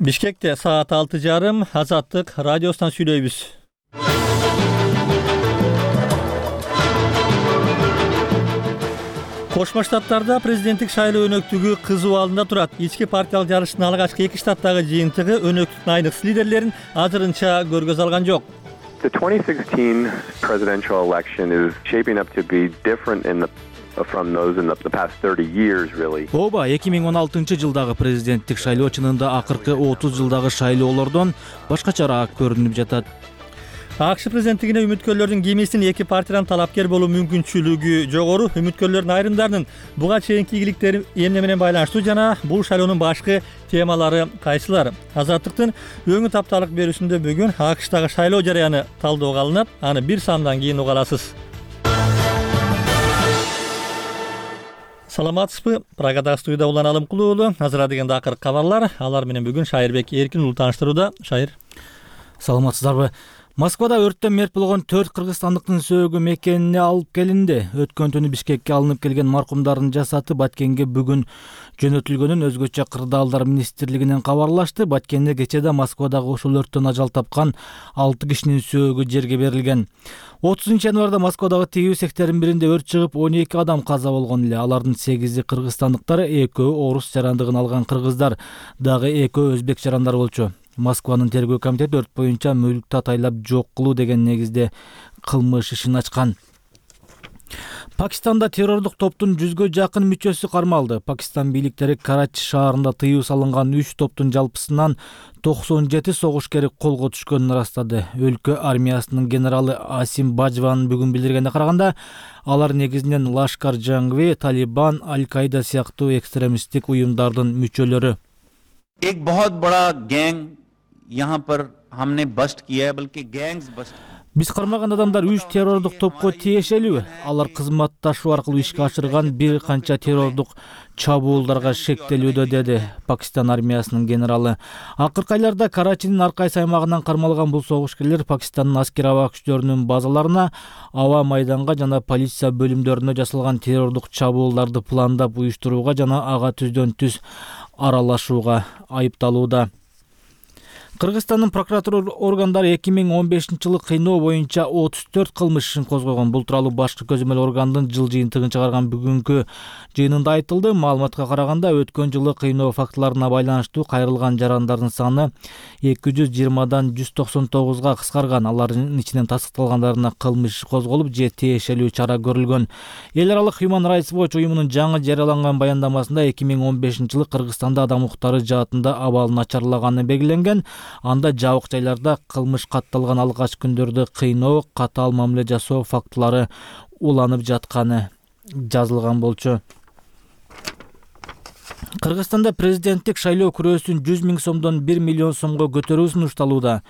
Бишкекте саат 6:30 Азаттык радиосунан сүйлөйбүз. Кошмо Штаттарда президенттик шайлоо өнөктүгү кызуу алында турат. Ички партиялык жарыштын алгачкы 2 штаттагы жыйынтыгы өнөктүктүн айныксы лидерлерин азырынча көргөз алган жок. The 2016 presidential election is shaping up to be different from those in the past 30 years really. Ооба, 2016-жылдагы президенттик шайлоо чынында акыркы 30 жылдагы шайлоолордон башкачараак көрүнүп жатат. АКШ президенттигине үмүткөрлөрдүн кимисинин эки партиядан талапкер болуу мүмкүнчүлүгү жогору. Үмүткөрлөрдүн айрымдарынын буга чейинки ийгиликтери эмне менен байланыштуу жана бул шайлоонун башкы темалары кайсылар? Азаттыктын өңү тапталык берүүсүндө бүгүн АКШтагы шайлоо жараяны талдоого алынат. Аны бир сандан кийин уга аласыз. Саламатсызбы? Прагадагы студияда Улан Алымкулуу уулу. Азыр дегенде акыркы кабарлар. Алар менен бүгүн Шайырбек Эркин уулу тааныштырууда. Шайыр. Саламатсыздарбы? Москвада өрттөн мерт болгон 4 кыргызстандыктын сөөгү мекенине алып келинди. Өткөн түнү Бишкекке алынып келген маркумдардын жасаты Баткенге бүгүн жөнөтүлгөнүн Өзгөчө кырдаалдар министрлигинен кабарлашты. Баткенде кечеде Москвадагы ушул өрттөн ажал тапкан 6 кишинин сөөгү жерге берилген. 30-январда Москвадагы тигүү цехтердин биринде өрт чыгып 12 адам каза болгон эле. Алардын 8-и кыргызстандыктар, 2-өө орус жарандыгын алган кыргыздар, дагы 2-өө өзбек жарандар болчу. Москванын тергөө комитети өрт боюнча мүлктү атайлап жок кылуу деген негизде кылмыш ишин ачкан. Пакистанда террордук топтун 100гө жакын мүчөсү кармалды. Пакистан бийликтери Карачи шаарында тыюу салынган 3 топтун жалпысынан 97 согушкери колго түшкөнүн ырастады. Өлкө армиясынын генералы Асим Бажван бүгүн билдиргенде караганда, алар негизинен Лашкар-Жангви, Талибан, Аль-Каида сыяктуу экстремисттик уюмдардын мүчөлөрү. एक बहुत बड़ा गैंग यहाँ पर हमने बस्ट किया है, बल्कि gangs bast. Биз кармаган адамдар 3 террордук топко тиешелүү. Алар кызматташуу аркылуу ишке ашырган бир канча террордук чабуулдарга шектелүүдө, деди Пакистан армиясынын генералы. Акыркы айларда Карачинин ар кайсы аймагынан кармалган бул согушкерлер Пакистандын аскер аба күчтөрүнүн базаларына, аба майданга жана полиция бөлүмдөрүнө жасалган террордук чабуулдарды пландап уюштурууга жана ага түздөн түз аралашууга айыпталууда. Кыргызстандын прокуратура органдары 2015-жылы кыйноо боюнча 34 кылмыш ишин козгогон. Бул тууралуу башкы көзөмөл органдын жыл жыйынтыгын чыгарган бүгүнкү жыйынында айтылды. Маалыматка караганда, өткөн жылы кыйноо фактыларына байланыштуу кайрылган жарандардын саны 220дан 199га кыскарган. Алардын ичинен тастыкталгандарына кылмыш козголуп, же тиешелүү чара көрүлгөн. Эл аралык Human Rights Watch уюмунун жаңы жарыяланган баяндамасында 2015-жылы Кыргызстанда адам укуктары жаатында абал начарлаганы белгиленген. Анда жабык жайларда кылмыш катталган алгач күндөрдө кыйноо, катаал мамиле жасоо фактылары уланып жатканы жазылган болчу. Кыргызстанда президенттик шайлоо күрөөсүн 100 000 сомдон 1 миллион сомго көтөрүү сунушталууда.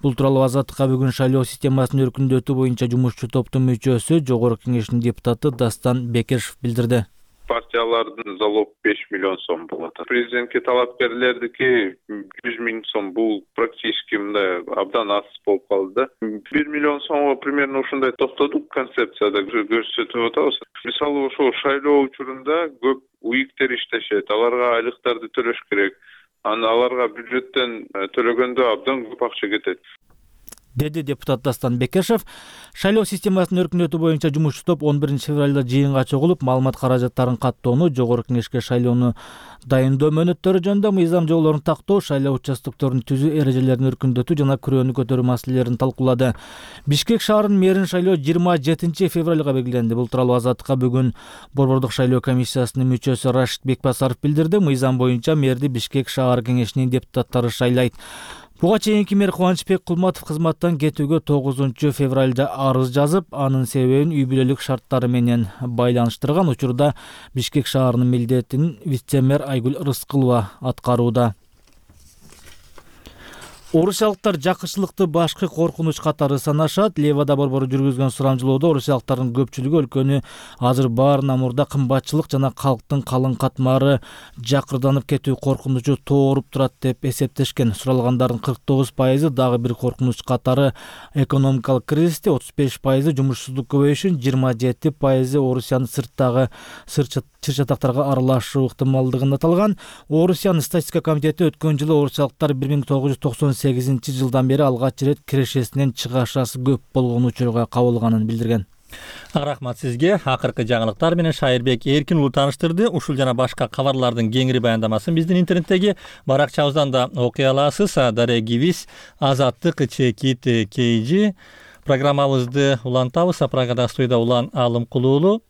Бул тууралуу Азаттыкка бүгүн шайлоо системасынын өркүндөтүү боюнча жумушчу топтун мүчөсү, Жогорку кеңештин депутаты Дастан Бекешев билдирди. Партиялардын залог 5 миллион сом болот. Президентке талапкерлердики 100 000 сом, бул практически мындай абдан аз болуп калды. 1 миллион сомго примерно ушундай токтодук, концепцияда көрсөтүп атабыз. Мисалы, ошол шайлоо учурунда көп уиктер иштешет, аларга айлыктарды төлөш керек. Аларга бюджеттен төлөгөндө абдан көп акча кетет, деди депутат Дастан Бекешев. Шайлоо системасынын өркүндөтүү боюнча жумушчу топ 11 февралда жыйынга чогулуп, маалымат каражаттарын каттоону, Жогорку кеңешке шайлоону дайындоо мөөнөттөрү жөнүндө мыйзам жоболорун тактоо, шайлоо участокторун түзүү эрежелерин өркүндөтүү жана күрөөнү көтөрүү маселелерин талкуулады. Бишкек шаарынын мэрин шайлоо 27 февралга белгиленди. Бул тууралуу Азаттыкка бүгүн Борбордук шайлоо комиссиясынын мүчөсү Рашид Бекбасаров билдирди. Мыйзам боюнча мэрди Бишкек шаар кеңешинин депутаттары шайлайт. Буга чейинки мэр Кубанычбек Кулматов кызматтан кетүүгө 9 февралда арыз жазып, анын себебин үй бүлөлүк шарттары менен байланыштырган. Учурда Бишкек шаарынын милдетин вице-мэр Айгүл Рыскылова аткарууда. Орусиялыктар жакынчылыкты башкы коркунуч катары санашат. Левада борбору жүргүзгөн сурамжылоодо орусиялыктардын көпчүлүгү өлкөнү азыр баарынан мурда кымбатчылык жана калктын калың катмары жакырданып кетүү коркунучу тооруп турат деп эсептешкен. Суралгандардын 49% дагы бир коркунуч катары экономикалык кризисти, 35% жумушсуздук көбөйүшүн, 27% Орусиянын сырттагы чыр-чатактарга аралашуу ыктымалдыгын аталган. Орусиянын статистика комитети өткөн жылы орусиялыктар 1998 жылдан бери алгач ирет кирешесинен чыгашасы көп болгон учурга кабылганын билдирген. Рахмат сизге. Акыркы жаңылыктар менен Шайырбек Эркин уулу тааныштырды. Ушул жана башка кабарлардын кеңири баяндамасын биздин интернеттеги баракчабыздан да окуй аласыз. Дарегибиз Азаттык Чекит KG. Программабызды улантабыз. Прагада студияда Улан Алымкулуу уулу.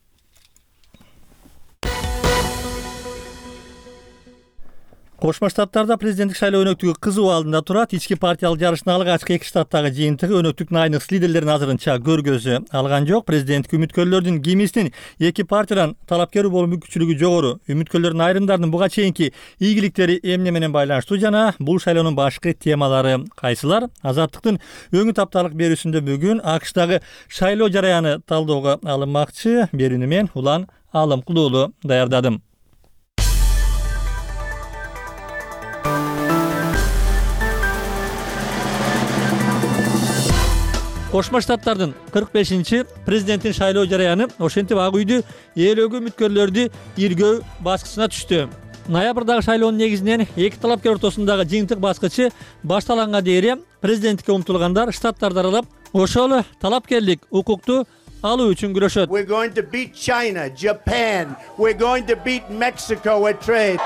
Кошмо Штаттарда президенттик шайлоо өнөктүгү кызуу алдында турат. Ички партиялык жарыштын алгачкы 2 штаттагы жыйынтыгы өнөктүктүн айныкс лидерлерин азырынча көргөзө алган жок. Президенттик үмүткөрлөрдүн кимисинин эки партиядан талапкер болуу мүмкүнчүлүгү жогору. Үмүткөрлөрдүн айрымдарынын буга чейинки ийгиликтери эмне менен байланыштуу жана бул шайлоонун башкы темалары кайсылар? Азаттыктын өңү тапталык берүүсүндө бүгүн АКШдагы шайлоо жараяны талоого алынмакчы. Берүүнү мен Улан Алымкулуу уулу даярдадым. Кошмо Штаттардын 45-чи президенттин шайлоо жараяны ошентип ак үйдү ээлөөгө үмүткөрлөрдү иргөө баскычына түштү. Ноябрдагы шайлоонун негизинен эки талапкер ортосундагы жыйынтык баскычы башталганга дейин президенттикке умтулгандар штаттарды аралап ошол талапкерлик укукту алуу үчүн күрөшөт. We're going to beat China, Japan. We're going to beat Mexico at trade.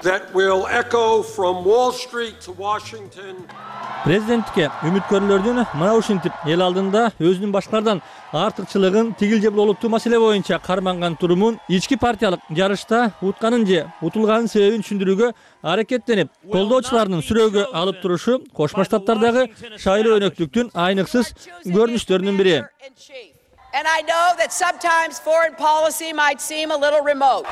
That will echo from Wall Street to Washington. Президенттикке үмүткөрлөрдүн мына ушинтип эл алдында өзүнүн башкалардан артыкчылыгын тигил же олуттуу маселе боюнча карманган турумун ички партиялык жарышта утканын же утулганын себебин түшүндүрүүгө аракеттенип, колдоочуларынын сүрөөгө алып турушу Кошмо Штаттардагы шайлоо өнөктүктүн айныксыз көрүнүштөрүнүн бири. And I know that sometimes foreign policy might seem a little remote.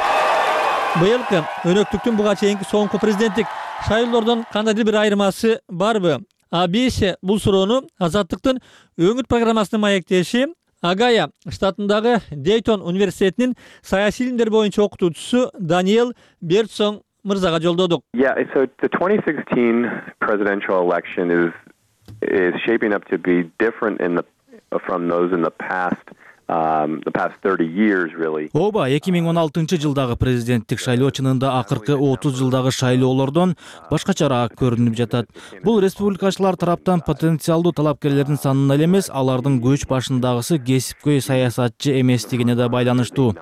Быйылкы өнөктүктүн буга чейинки соңку президенттик шайлоолордон кандайдыр бир айырмасы барбы? ABC бул суроону Азаттыктын өңүт программасынын маектеши Агая штатындагы Дейтон университетинин саясий илимдер боюнча окутуучусу Даниэл Бертсон мырзага жолдодук. Yeah, so the 2016 presidential election is shaping up to be different from those in the past 30 years really. Оба 2016-жылдагы президенттик шайлоо чынында акыркы 30 жылдагы шайлоолордон башкачараак көрүнүп жатат. Бул республикачылар тараптан потенциалдуу талапкерлердин санына эле эмес, алардын көч башындагысы кесипкөй саясатчы эместигине да байланыштуу.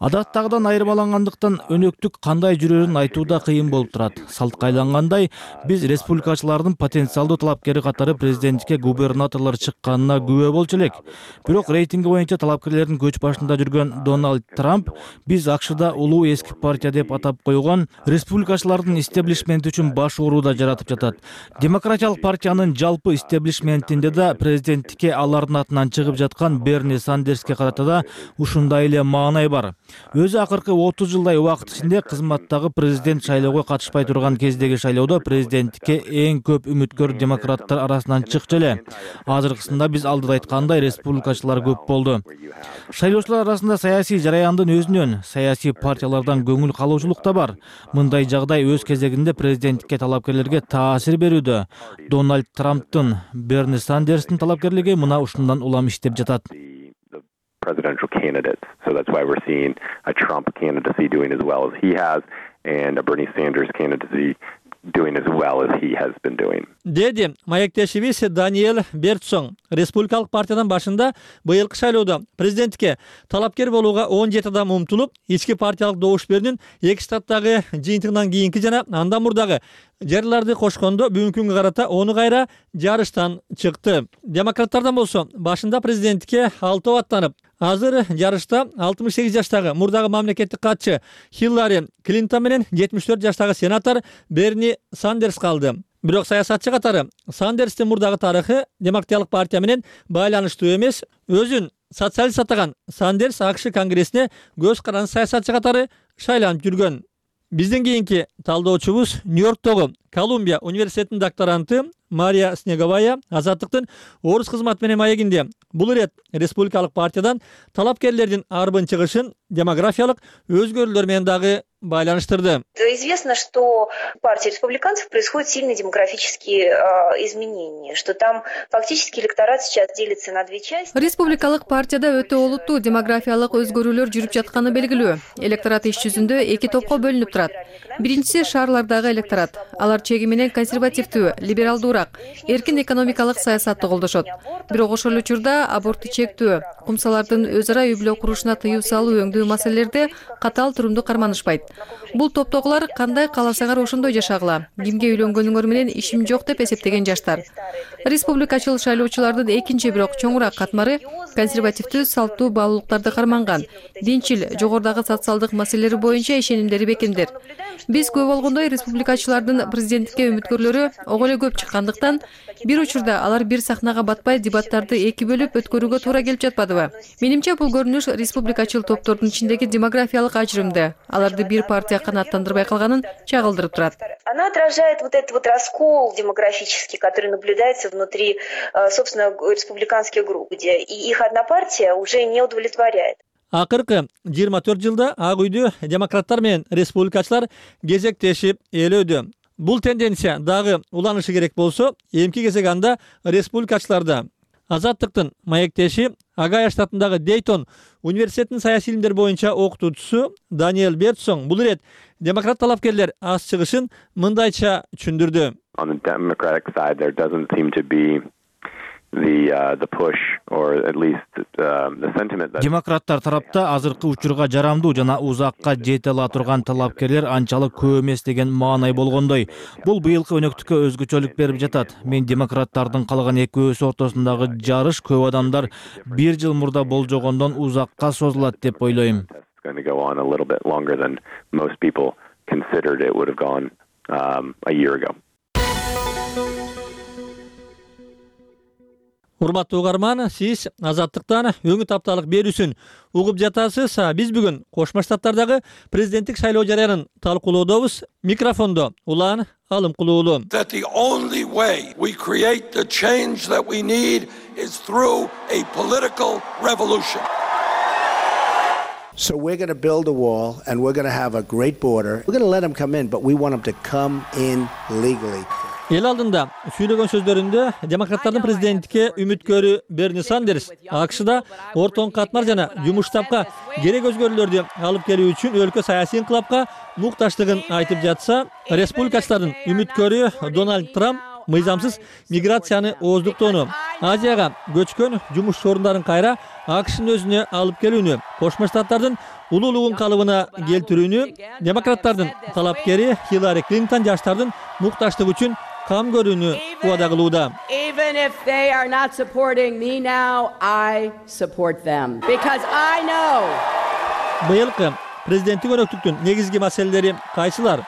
Адаттагыдан айырмалангандыктан өнөктүк кандай жүрөрүн айтууда кыйын болуп турат. Салткайлангандай, биз республикачылардын потенциалдуу талапкери катары президенттикке губернаторлор чыкканына күбө болчу элек. Бирок рейтинги боюнча талапкерлердин көч башында жүргөн Дональд Трамп биз АКШда улуу эски партия деп атап койгон республикачылардын истеблишменти үчүн баш ооруда жаратып жатат. Демократиялык партиянын жалпы истеблишментинде да президенттикке алардын атынан чыгып жаткан Берни Сандерске карата да ушундай эле маанай бар. Өзү акыркы 30 жылдай убакыт ичинде кызматтагы президент шайлоого катышпай турган кездеги шайлоодо президенттикке эң көп үмүткөр демократтар арасынан чыкчу эле. Азыркысында биз алдыда айткандай республикачылар көп болду. Шайлоочулар арасында саясий жараяндын өзүнөн, саясий партиялардан көңүл калуучулук да бар. Мындай жагдай өз кезегинде президенттикке талапкерлерге таасир берүүдө. Дональд Трамптын, Берни Сандерстин талапкерлиги мына ушундан улам иштеп жатат. Presidential candidates. So that's why we're seeing a Trump candidacy doing as well as he has and a Bernie Sanders candidacy doing as well as he has been doing. Деди маектешибиз Даниэл Бертсон. Республикалык партиядан башында быйылкы шайлоодо президенттикке талапкер болууга 17 адам умтулуп, ички партиялык добуш берүүнүн 2 штаттагы жыйынтыгынан кийинки жана андан мурдагы жерларды кошкондо бүгүнкү күнгө карата ону кайра жарыштан чыкты. Демократтардан болсо башында президенттикке 6 аттанып, азыр жарышта 68 жаштагы мурдагы мамлекеттик катчы Хиллари Клинтон менен 74 жаштагы сенатор Берни Сандерс калды. Бирок саясатчы катары Сандерстин мурдагы тарыхы демократиялык партия менен байланыштуу эмес. Өзүн социалист атаган Сандерс АКШ конгрессине көз каранды саясатчы катары шайланып жүргөн. Бизден кийинки талдоочубуз Нью-Йорктогу Колумбия университетинин докторанты Мария Снеговая Азаттыктын орус кызматы менен маегинде бул ирет республикалык партиядан талапкерлердин арбын чыгышын демографиялык өзгөрүүлөр менен дагы байланыштырды. Известно, что в партии республиканцев происходят сильные демографические изменения, что там фактически электорат сейчас делится на две части. Республикалык партияда өтө олуттуу демографиялык өзгөрүүлөр жүрүп жатканы белгилүү. Электорат иш жүзүндө эки топко бөлүнүп турат. Биринчиси шаарлардагы электорат. Алар чеги менен консервативдүү, либералдуураак, эркин экономикалык саясатты колдошот. Бирок ошол учурда абортты чектөө, кумсалардын өз ара үй бүлө курушуна тыюу салуу өңдүү маселелерде катаал турумду карманышпайт. Бул топтогулар кандай кааласаңар ошондой жашагыла. Кимге үйлөнгөнүңөр менен ишим жок деп эсептеген жаштар. Республикачыл шайлоочулардын экинчи бирок чоңураак катмары консервативдүү салттуу баалуулуктарды карманган, динчил, жогорудагы социалдык маселелер боюнча ишенимдери бекемдер. Биз көп болгондой республикачылардын президенттикке үмүткөрлөрү ого эле көп чыккандыктан бир учурда алар бир сахнага батпай дебаттарды эки бөлүп өткөрүүгө туура келип жатпадыбы? Менимче бул көрүнүш республикачыл топтордун ичиндеги демографиялык ажырымды, аларды бир партия канааттандырбай калганын чагылдырып турат. Она отражает вот этот вот раскол демографический, который наблюдается внутри, собственно, республиканских групп, где и их одна партия уже не удовлетворяет. Акыркы 24 жылда Ак үйдө демократтар менен республикачылар кезектешип ээлөөдө. Бул тенденция дагы уланышы керек болсо, эмки кезек анда республикачыларда. Азаттыктын маектеши Агая штатындагы Дейтон университетинин саясий илимдер боюнча окутуучусу Даниэль Бертсон бул ирет демократ талапкерлер аз чыгышын мындайча түшүндүрдү. On the Democratic side, there doesn't seem to be the push, or at least the sentiment that Демократтар тарапта азыркы учурга жарамдуу жана узакка жете ала турган талапкерлер анчалык көп эмес деген маанай болгондой. Бул быйылкы өнөктүккө өзгөчөлүк берип жатат. Мен демократтардын калган экөөсү ортосундагы жарыш көп адамдар бир жыл мурда болжогондон узакка созулат деп ойлойм. it's going to go on a little bit longer than most people considered it would have gone a year ago. Урматтуу угарман, сиз Азаттыктан өңү тапталык берүүсүн угуп жатасыз. Биз бүгүн Кошмо Штаттардагы президенттик шайлоо жарыянын талкуулоодобуз. Микрофондо Улан Алымкулуулу. That the only way we create the change that we need is through a political revolution. So we're going to build a wall and we're going to have a great border. We're going to let them come in, but we want them to come in legally. Эл алдында сүйлөгөн сөздөрүндө демократтардын президенттикке үмүткөрү Берни Сандерс АКШда ортоң катмар жана жумуш тапка керек өзгөрүүлөрдү алып келүү үчүн өлкө саясий инкылапка мукташтыгын айтып жатса, республикачылардын үмүткөрү Дональд Трамп мыйзамсыз миграцияны ооздуктоону, Азияга көчкөн жумуш орундарын кайра АКШнын өзүнө алып келүүнү, Кошмо Штаттардын улуулугун калыбына келтирүүнү, демократтардын талапкери Хиллари Клинтон жаштардын мукташтыгы үчүн кам көрүүнү убада кылууда. Even if they are not supporting me now, I support them because I know. Быйылкы президенттик өнөктүктүн негизги маселелери кайсылар?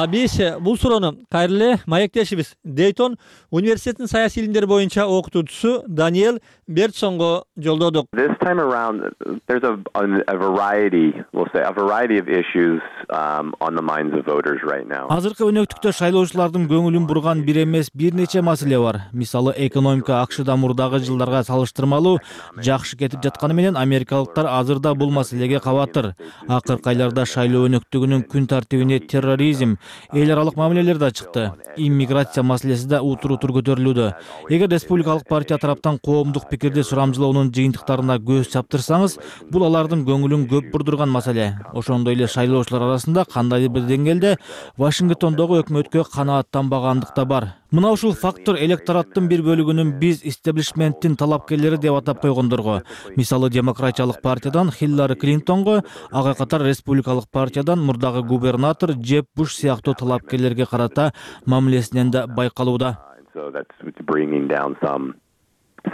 Биз бул суроону кайрылы маектешибиз Дейтон университетинин саясий илимдер боюнча окутуучусу Даниэль Бертсонго жолдодук. This time around, there's a variety, we'll say, a variety of issues on the minds of voters right now. Азыркы өнөктүктө шайлоочулардын көңүлүн бурган бир эмес бир нече маселе бар. Мисалы, экономика АКШда мурдагы жылдарга салыштырмалуу жакшы кетип жатканы менен америкалыктар азырда бул маселеге кабатыр. Акыркы айларда шайлоо өнөктүгүнүн күн тартибине терроризм, эл аралык мамилелер да чыкты. Иммиграция маселеси да утур-утур көтөрүлүүдө. Эгер республикалык партия тараптан коомдук пикирди сурамжылоонун жыйынтыктарына көз чаптырсаңыз, бул алардын көңүлүн көп бурдурган маселе. Ошондой эле шайлоочулар арасында кандайдыр бир деңгээлде Вашингтондогу өкмөткө канааттанбагандык да бар. Мына ушул фактор электораттын бир бөлүгүнүн биз истеблишменттин талапкерлери деп атап койгондорго, мисалы демократиялык партиядан Хиллари Клинтонго, ага катар республикалык партиядан мурдагы губернатор Джеб Буш сыяктуу талапкерлерге карата мамилесинен да байкалууда. So that's bringing down some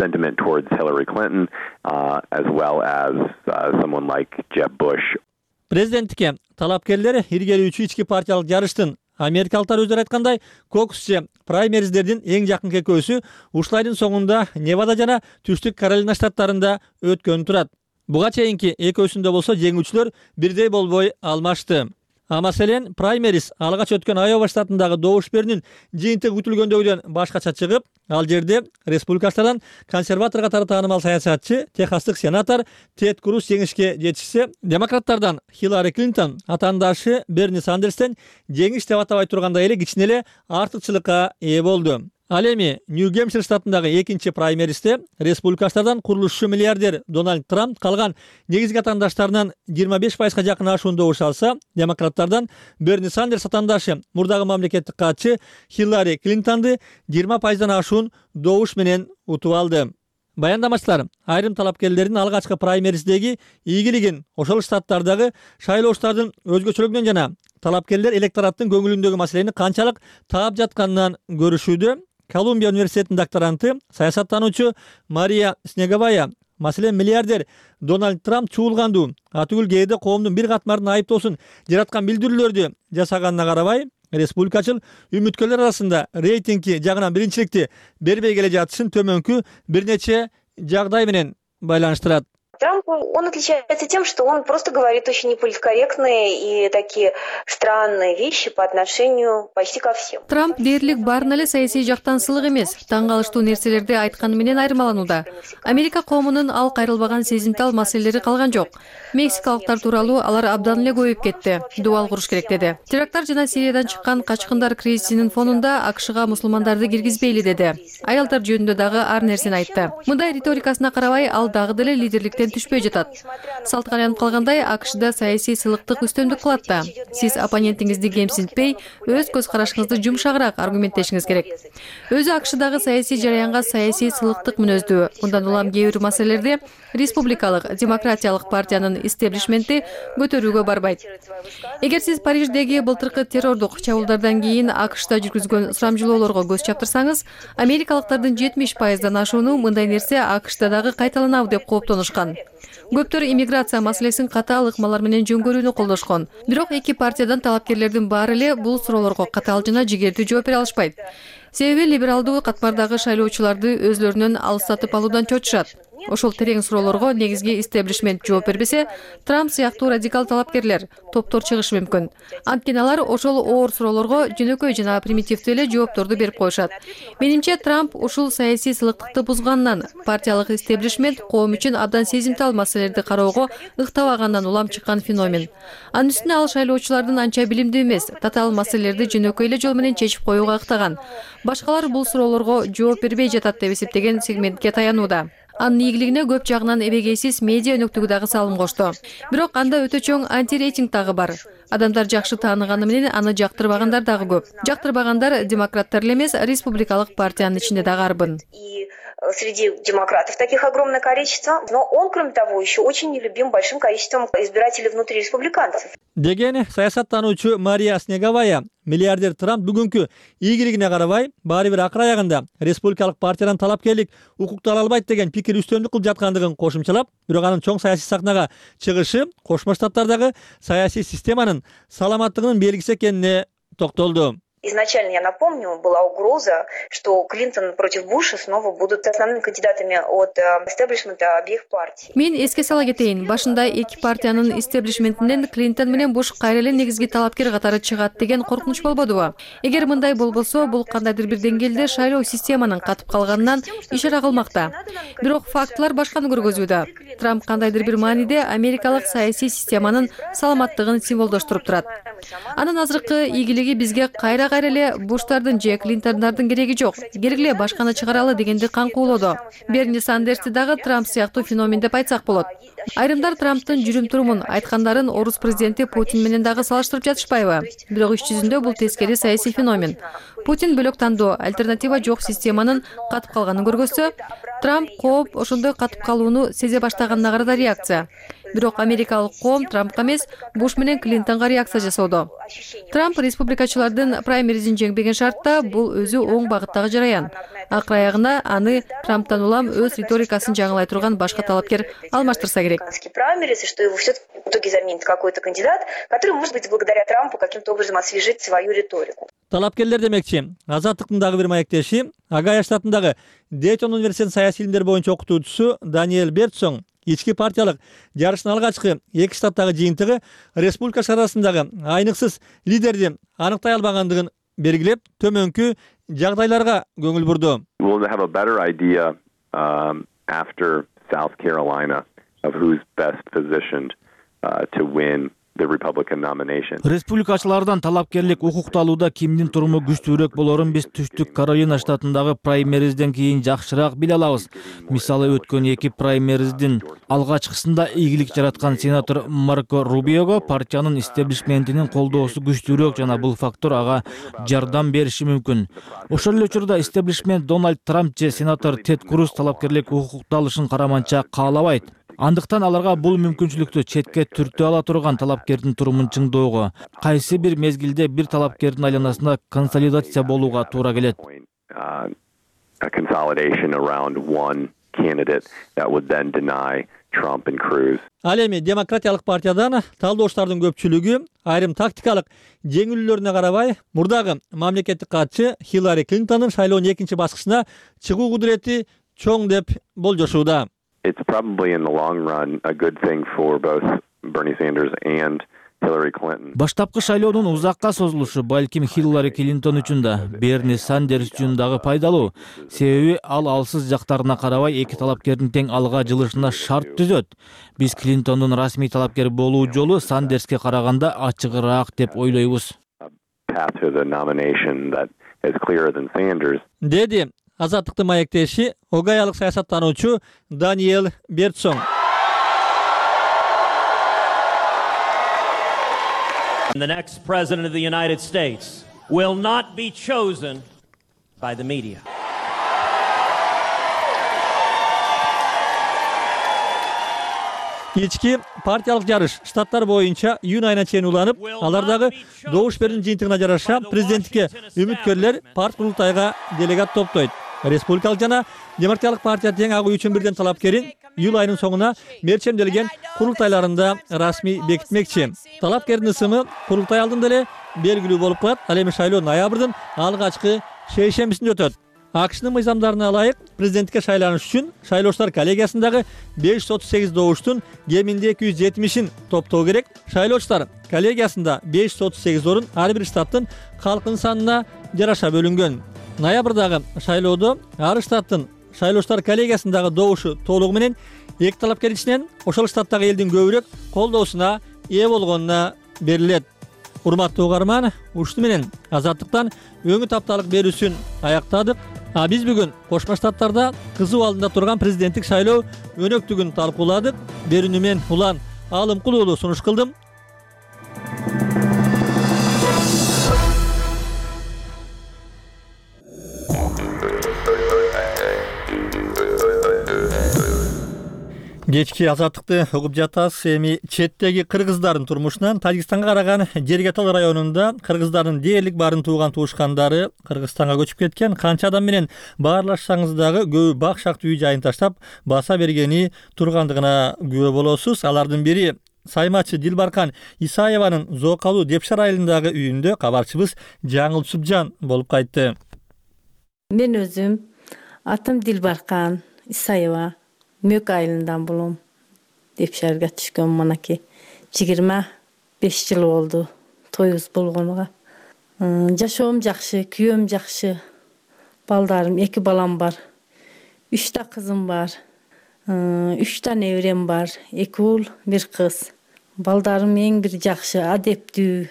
sentiment towards Hillary Clinton, as well as someone like Jeb Bush. Президенттикке талапкерлер иргелүүчү ички партиялык жарыштын америкалыктар өздөрү айткандай кокус же праймериздердин эң жакынкы экөөсү ушул айдын соңунда Невада жана Түштүк Каролина штаттарында өткөн турат. Буга чейинки экөөсүндө болсо жеңүүчүлөр бирдей болбой алмашты. Маселен, праймериз алгач өткөн Айова штатындагы добуш берүүнүн жыйынтыгы күтүлгөндөгүдөн башкача чыгып, ал жерде республикачылардан консерватор катары таанымал саясатчы, техастык сенатор Тед Круз жеңишке жетишсе, демократтардан Хиллари Клинтон атаандашы Берни Сандерстен жеңиш деп атабай тургандай эле кичине эле артыкчылыкка ээ болду. Ал эми Нью-Гэмпшир штатындагы экинчи праймеристе республикачылардан курулушчу миллиардер Дональд Трамп калган негизги атаандаштарынан 25% жакын ашуун добуш алса, демократтардан Берни Сандерс атаандашы мурдагы мамлекеттик катчы Хиллари Клинтонду 20%дан ашуун добуш менен утуп алды. Баяндамачылар айрым талапкерлердин алгачкы праймериздеги ийгилигин ошол штаттардагы шайлоочулардын өзгөчөлүгүнөн жана талапкерлер электораттын көңүлүндөгү маселени канчалык таап жатканынан көрүшүүдө. Колумбия университетинин докторанты, саясаттануучу Мария Снеговая, маселен миллиардер Дональд Трамп чуулгандуу атүгүл кээде коомдун бир катмарын айыптоосун жараткан билдирүүлөрдү жасаганына карабай, республикачыл үмүткөрлөр арасында рейтинги жагынан биринчиликти бербей келе жатышын төмөнкү бир нече жагдай менен байланыштырат. Трамп, он отличается тем, что он просто говорит очень неполиткорректные и такие странные вещи по отношению почти ко всем. Трамп дээрлик баарын эле саясий жактан сылык эмес, таң калыштуу нерселерди айтканы менен айырмаланууда. Америка коомунун ал кайрылбаган сезимтал маселелери калган жок. Мексикалыктар тууралуу алар абдан эле көбөйүп кетти. Дубал куруш керек деди. Теракттар жана Сириядан чыккан качкындар кризисинин фонунда АКШга мусулмандарды киргизбейли деди. Аялдар жөнүндө дагы ар нерсени айтты. Мындай риторикасына карабай, ал дагы деле лидерликтен түшпөй жатат. Салтка айланып калгандай, АКШда саясий сылыктык үстөмдүк кылат да. Сиз оппонентиңизди кемсинтпей, өз көз карашыңызды жумшагыраак аргументтешиңиз керек. Өзү АКШдагы саясий жараянга саясий сылыктык мүнөздүү. Мындан улам кээ бир маселелерде республикалык, демократиялык партиянын истеблишменти көтөрүүгө барбайт. Эгер сиз Париждеги былтыркы террордук чабуулдардан кийин АКШда жүргүзгөн сурамжылоолорго көз чаптырсаңыз, америкалыктардын 70%дан ашууну мындай нерсе АКШда дагы кайталанабы деп кооптонушкан. Көптөр иммиграция маселесин катаал ыкмалар менен жөнгөрүүнү колдошкон. Бирок эки партиядан талапкерлердин баары эле бул суроолорго катаал жана жигердүү жооп бере алышпайт. Себеби либералдуу катмардагы шайлоочуларды өзлөрүнөн алыстатып алуудан чочушат. Ошол терең суроолорго негизги истеблишмент жооп бербесе, Трамп сыяктуу радикал талапкерлер, топтор чыгышы мүмкүн. Анткени алар ошол оор суроолорго жөнөкөй жана примитивдүү эле жоопторду берип коюшат. Менимче, Трамп ушул саясий сылыктыкты бузгандан, партиялык истеблишмент коом үчүн абдан сезимтал маселелерди кароого ыктабагандан улам чыккан феномен. Анын үстүнө ал шайлоочулардын анча билимдүү эмес, татаал маселелерди жөнөкөй эле жол менен чечип коюуга ыктаган. Башкалар бул суроолорго жооп бербей жатат деп эсептеген сегментке таянууда. Анын ийгилигине көп жагынан эбегейсиз медиа өнөктүгү дагы салым кошту. Бирок анда өтө чоң антирейтинг дагы бар. Адамдар жакшы тааныганы менен аны жактырбагандар дагы көп. Жактырбагандар демократтар эле эмес, республикалык партиянын ичинде дагы арбын. Среди демократов таких огромное количество, но он, кроме того, еще очень нелюбим большим количеством избирателей внутри республиканцев. Деген саясаттануучу Мария Снеговая, миллиардер Трамп бүгүнкү ийгилигине карабай, баары бир акыр аягында республикалык партиядан талапкерлик укукту ала албайт деген пикир үстөмдүк кылып жаткандыгын кошумчалап, бирок анын чоң саясий сахнага чыгышы Кошмо Штаттардагы саясий системанын саламаттыгынын белгиси экенине токтолду. Изначально, я напомню, была угроза, что Клинтон против Буша снова будут основными кандидатами от истеблишмента обеих партий. Мен эске сала кетейин, башында эки партиянын истеблишментинен Клинтон менен Буш кайра эле негизги талапкер катары чыгат деген коркунуч болбодубу? Эгер мындай болбосо, бул кандайдыр бир деңгээлде шайлоо системанын катып калганынан ишара кылмакта. Бирок фактылар башканы көргөзүүдө. Трамп кандайдыр бир мааниде америкалык саясий системанын саламаттыгын символдоштуруп турат. Анын азыркы ийгилиги бизге кайра эле Буштардын же Клинтондардын кереги жок. Керек эле башканы чыгаралы дегенди каңкуулоду. Берни Сандерсти дагы Трамп сыяктуу феномен деп айтсак болот. Айрымдар Трамптын жүрүм-турумун, айткандарын орус президенти Путин менен дагы салыштырып жатышпайбы? Бирок иш жүзүндө бул тескери саясий феномен. Путин бөлөк тандоо, альтернатива жок системанын катып калганын көргөзсө, Трамп кооп ошондой катып калууну сезе баштаганына карата реакция. Бирок америкалык коом Трампка эмес, Буш менен Клинтонго реакция жасоодо. Трамп республикачылардын праймеризин жеңбеген шартта бул өзү оң багыттагы жараян. Акыр аягында аны Трамптан улам өз риторикасын жаңылай турган башка талапкер алмаштырса керек. Праймериз, что его все-таки в итоге заменит какой-то кандидат, который, может быть, благодаря Трампу каким-то образом освежит свою риторику. Талапкерлер демекчи, Азаттыктын дагы бир маектеши, Огайо штатындагы Дейтон университетинин саясий илимдер боюнча окутуучусу Даниэль Бертсон ички партиялык жарыштын алгачкы 2 штаттагы жыйынтыгы республика арасындагы айныксыз лидерди аныктай албагандыгын белгилеп, төмөнкү жагдайларга көңүл бурду. We'll have a better idea after South Carolina of who's best positioned to win the Republican nomination. Республикачылардан талапкерлик укукталууда кимдин туруму күчтүүрөөк болорун биз Түштүк Каролина штатындагы праймеризден кийин жакшыраак биле алабыз. Мисалы, өткөн 2 праймериздин алгачкысында ийгилик жараткан сенатор Марко Рубиого партиянын истеблишментинин колдоосу күчтүүрөөк жана бул фактор ага жардам бериши мүмкүн. Ошол эле учурда истеблишмент Дональд Трамп же сенатор Тед Круз талапкерлик укукталышын караманча каалабайт. Андыктан аларга бул мүмкүнчүлүктү четке түртө ала турган талапкердин турумун чыңдоого, кайсы бир мезгилде бир талапкердин айланасында консолидация болууга туура келет. A consolidation around one candidate that would then deny Trump and Cruz. Ал эми демократиялык партиядан талдоочулардын көпчүлүгү айрым тактикалык жеңилүүлөрүнө карабай, мурдагы мамлекеттик катчы Хиллари Клинтондун шайлоонун экинчи баскычына чыгуу кудурети чоң деп болжошууда. It's probably in the long run a good thing for both Bernie Sanders and Hillary Clinton. Баштапкы шайлоонун узакка созулушу балким Хиллари Клинтон үчүн да, Берни Сандерс үчүн дагы пайдалуу. Себеби ал алсыз жактарына карабай эки талапкердин тең алга жылышына шарт түзөт. Биз Клинтондун расмий талапкер болуу жолу Сандерске караганда ачыгыраак деп ойлойбуз. Path to the nomination that is clearer than Sanders. Деди Азаттыктын маектеши огаялык саясаттануучу Даниэл Бертсон. The next president of the United States will not be chosen by the media. Ички партиялык жарыш штаттар боюнча июнь айына чейин уланып, алардагы добуш берүүнүн жыйынтыгына жараша президенттикке үмүткөрлөр парт курултайга делегат топтойт. Республикалык жана демократиялык партия тең агуу үчүн бирден талапкерин июль айынын соңуна мерчемделген курултайларында расмий бекитмекчи. Талапкердин ысымы курултай алдында эле белгилүү болуп калат. Ал эми шайлоо ноябрдын алгачкы шейшембисинде өтөт. АКШнын мыйзамдарына ылайык президенттикке шайланыш үчүн шайлоочулар коллегиясындагы 538 добуштун кеминде 270-ин топтоо керек. Шайлоочулар коллегиясында 538 орун ар бир штаттын калкынын санына жараша бөлүнгөн. Ноябрдагы шайлоодо ар штаттын шайлоочулар коллегиясындагы добушу толугу менен эки талапкер ичинен ошол штаттагы элдин көбүрөөк колдоосуна ээ болгонуна берилет. Урматтуу угарман, ушуну менен Азаттыктан өңү тапталык берүүсүн аяктадык. Биз бүгүн Кошмо Штаттарда кызуу алдында турган президенттик шайлоо өнөктүгүн талкууладык. Берүүнү мен Улан Алымкул уулу сунуш кылдым. Кечки Азаттыкты угуп жатасыз. Эми четтеги кыргыздардын турмушунан Тажикстанга караган Жергетал районунда кыргыздардын дээрлик барын тууган туушкандары Кыргызстанга көчүп кеткен. Канча адам менен баарлашсаңыз дагы көбү бак шактуу үй жайын таштап баса бергени тургандыгына күбө болосуз. Алардын бири саймачы Дилбаркан Исаеванын Зоокалуу Депшар айылындагы үйүндө кабарчыбыз Жаңыл Субжан болуп кайтты. Мен өзүм атым Дилбаркан Исаева. Мөк айылынан болом. Депшарга түшкөн манаки 25 жыл болду тоюбуз болгонуга. Жашоом жакшы, күйөөм жакшы. Балдарым, 2 балам бар. 3 та кызым бар. 3 та неберем бар. 2 уул, 1 кыз. Балдарым эң бир жакшы, адептүү,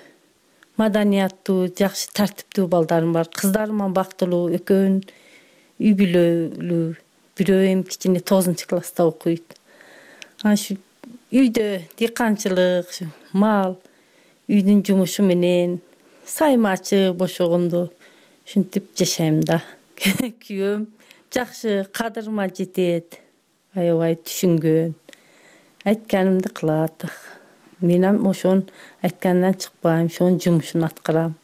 маданияттуу, жакшы тартиптүү балдарым бар. Кыздарым бактылуу, экөөнүн үй бүлөлүү. Бирөө эми кичине 9 класста окуйт. Ашу үйдө дыйканчылык, мал, үйдүн жумушу менен саймачы бошогондо ушинтип жашайм да. Күйөөм жакшы, кадырыма жетет. Аябай түшүнгөн. Айтканымды кылат. Мен ошон айткандан чыкпайм, ошонун жумушун аткарам.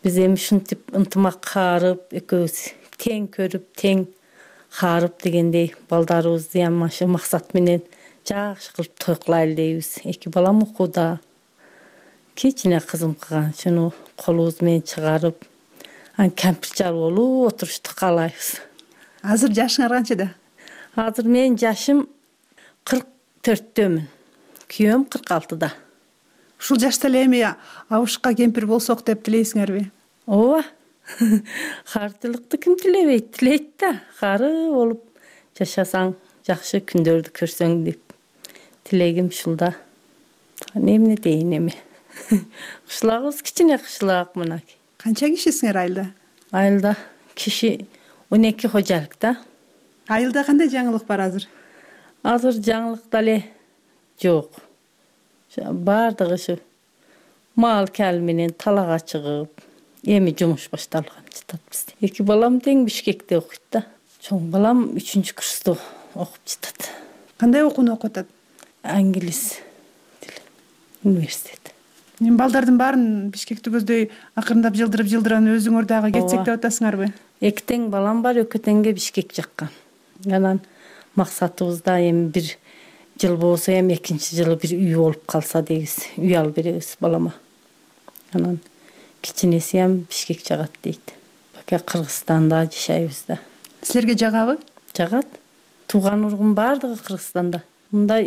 Биз эми ушинтип ынтымак каарып, экөөбүз тең көрүп, тең харып дегендей балдарыбызды ямашы максат менен жакшы кылып той кылайлы дейбиз. 2 балам окууда. Кичине кызым кылган, шуну колубуз менен чыгарып, кампирчар болуп отурушту каалайбыз. Азыр жашыңар канчада? Азыр менин жашым 44-төмүн. Күйөөм 46-да. Ушул жашта эле эми абышка кемпир болсок деп тилейсиңерби? Ооба. Карчылыкты ким тилебейт? Тилейт да. Кары болуп жашасаң, жакшы күндөрдү көрсөң деп тилегим ушулда. Эмне дейин эми? Кышлагыбыз кичине кышлак мына. Канча кишисиңер айылда? Айылда киши 12 кожалык да. Айылда кандай жаңылык бар азыр? Азыр жаңылык дале жок. Бардыгы ушу мал кал менен талага чыгып, эми жумуш башталган жатат бизде. 2 балам тең Бишкекте окуйт да. Чоң балам 3-курста окуп жатат. Кандай окууну окуп атат? Англис тили, университет. Мен балдардын баарын Бишкекти көздөй акырындап жылдырып өзүңөр дагы кетсек деп атасыңарбы? 2 тең балам бар, экөөтеңге Бишкек жаккан. Анан максатыбыз да эми бир жыл болсо эми 2-чи жылы бир үй болуп калса дейбиз. Үй алып беребиз балама. Анан кичинеси ham Бишкек жагат дейт. Бака Кыргызстанда жашайбыз да. Силерге жагабы? Жагат. Тууган ургум бардыгы Кыргызстанда. Мында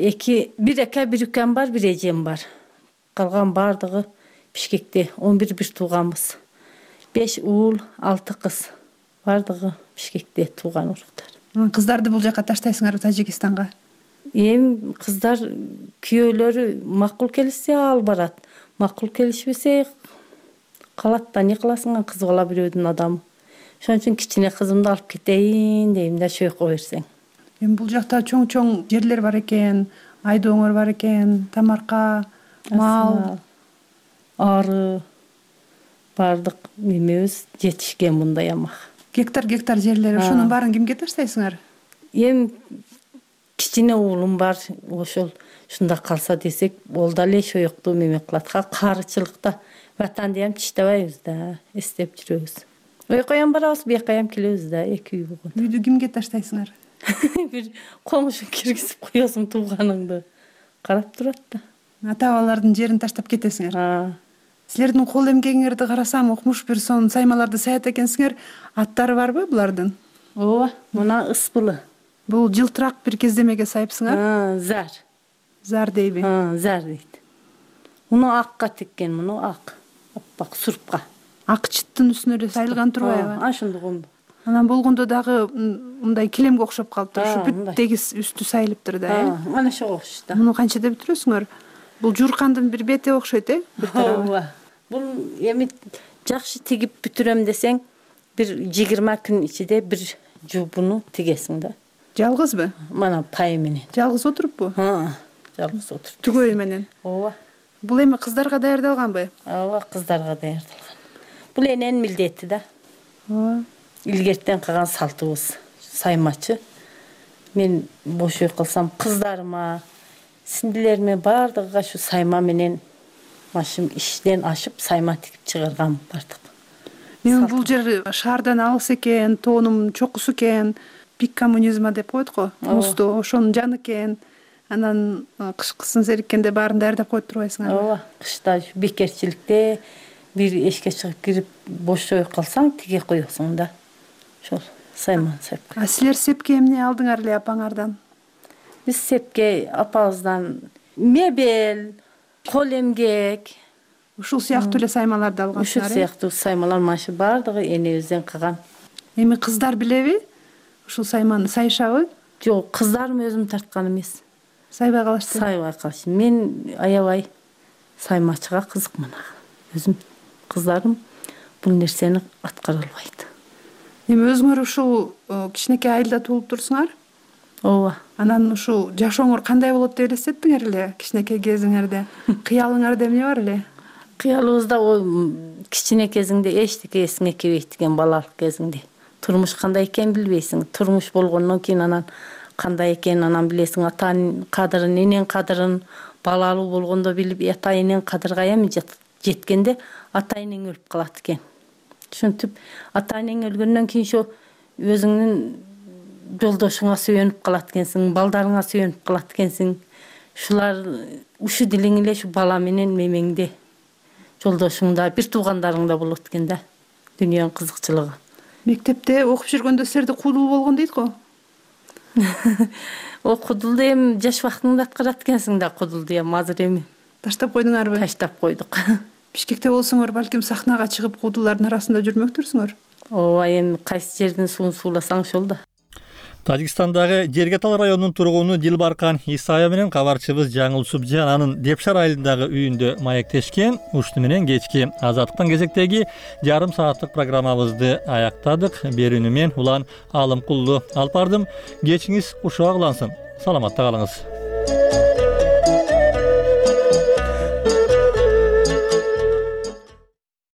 бир ака, бир укам бар, бир эжем бар. Калган бардыгы Бишкекте 11 бир тууганбыз. 5 уул, 6 кыз. Бардыгы Бишкекте тууган уруктар. Кыздарды бул жака таштайсыңарбы, Тажикистанга? Эми кыздар күйөөлөрү макул келишсе ал барат. Макул келишпесе калат да, не кыласың, кыз бала бирөөдүн адамы. Ошон үчүн кичине кызымды алып кетейин дейм да, чөйкө берсең. Эми бул жакта чоң жерлер бар экен, айдооңор бар экен, тамарка, мал, ары бардык немебиз жетишкен мындай амак. Гектар жерлер, ошонун баарын кимге таштайсыңар? Эми кичине уулум бар, ошол ушунда калса десек, ол дале шоюкту меме кылат. Карычылыкта ватанды ham тиштебейбиз да, эстеп жүрөбүз. Ойкой ham барабыз, бияка ham келебиз да, 2 үй болгон. Үйдү кимге таштайсыңар? Бир комушу киргизип коесуң, тууганыңды карап турат да. Ата-бабалардын жерин таштап кетесиңер. Силердин кол эмгегиңерди карасам, укмуш бир сон саймаларды саят экенсиңер. Аттары барбы булардын? Ооба, мына Ыспылы. Бул жылтырак бир кездемеге сайыпсыңар? Зар. Зар дейби? Зар дейт. Муну акка теккен, муну ак. Аппак сурпка. Ак чыттын үстүнө эле сайылган турбайбы? Ошондугун. Анан болгондо дагы мындай килемге окшоп калыптыр. Ушу бүт тегиз үстү сайылыптыр да, э? Мана ошого окшойт да. Муну канчада бүтүрөсүңөр? Бул журкандын бир бети окшойт, э? Ооба. Бул эми жакшы тигип бүтүрөм десең, бир 20 күн ичинде бир жуубуну тигесиң да. Жалгызбы? Мана пай менен. Жалгыз отуруппу? Жалгыз отуруп. Түгөй менен. Ооба. Бул эми кыздарга даярдалганбы? Ооба, кыздарга даярдалган. Бул эненин милдети да. Ооба. Илгертен калган салтыбыз. Саймачы. Мен бош үй кылсам, кыздарыма, сиңдилериме бардыгыга ушу сайма менен машым иштен ашып сайма тигип чыгарган бардык. Мен бул жер шаардан алыс экен, тоонум чокусу экен, пик коммунизма деп коет го. Мусту ошонун жаны экен. Анан кышкысын сериккенде баарын даярдап коюп турбайсыңар? Ооба, кышта бекерчиликте бир эшикке чыгып кирип бош үй калсаң, тиге коесуң да. Ошол сайман сеп. А силер сепке эмне алдыңар эле апаңардан? Биз сепке апабыздан мебель, кол эмгек, ушул сыяктуу эле саймаларды алгансыңар. Ушул сыяктуу саймалар машы бардыгы энебизден калган. Эми кыздар билеби? Ушул сайманы сайышабы? Жок, кыздарым өзүм тарткан эмес. Сайбай калышты. Сайбай калышты. Мен аябай саймачыга кызыкмын. Өзүм кыздарым бул нерсени аткара албайт. Эми өзүңөр ушул кичинекей айылда туулуп турсуңар? Ооба. Анан ушул жашооңор кандай болот деп элестеттиңер эле кичинекей кезиңерде? Кыялыңарда эмне бар эле? Кыялыбызда кичине кезиңде эчтеке эсиңе келбейт экен, балалык кезиңде. Турмуш кандай экенин билбейсиң. Турмуш болгондон кийин анан кандай экенин анан билесиң. Атанын кадырын, эненин кадырын балалуу болгондо билип, ата эненин кадырга эми жеткенде ата энең өлүп калат экен. Ушинтип ата энең өлгөндөн кийин ошо өзүңдүн жолдошуңа сүйөнүп калат экенсиң, балдарыңа сүйөнүп калат экенсиң. Ушулар ушу дилиң эле ушу бала менен мемеңде, жолдошуңда, бир туугандарыңда болот экен да. Дүйнөнүн кызыкчылыгы. Мектепте окуп жүргөндө силерде куудул болгон дейт го? Окудулду эми жаш убактыңда аткарат экенсиң да кудулду эми азыр эми. Таштап койдуңарбы? Таштап койдук. Бишкекте болсоңор балким сахнага чыгып кудулардын арасында жүрмөктүрсүңөр. Ооба, эми кайсы жердин суун сууласаң ошол да. Тажикстандагы Жергетал районунун тургуну Дилбаркан Исаева менен кабарчыбыз Жаңыл Субжан анын Депшар айылындагы үйүндө маектешкен. Ушуну менен кечки Азаттыктан кезектеги жарым сааттык программабызды аяктадык. Берүүнү мен Улан Алымкулду алып бардым. Кечиңиз ушуга кылансын. Саламатта калыңыз.